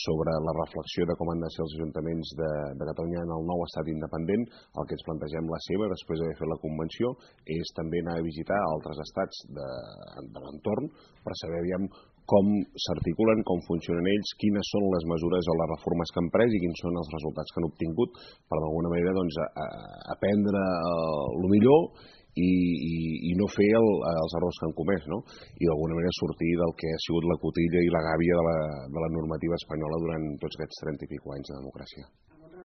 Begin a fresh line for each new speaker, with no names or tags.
sobre la reflexió de com han de ser els ajuntaments de Catalunya en el nou estat independent. El que ens plantegem la seva, després d'haver fet la convenció, és també anar a visitar altres estats de l'entorn per saber com s'articulen, com funcionen ells, quines són les mesures o les reformes que han pres i quins són els resultats que han obtingut per d'alguna manera aprendre el millor i no fer els errors que han comès, no? I d'alguna manera sortir del que ha sigut la cotilla i la gàbia de la normativa espanyola durant tots aquests 30 i escaig anys de democràcia.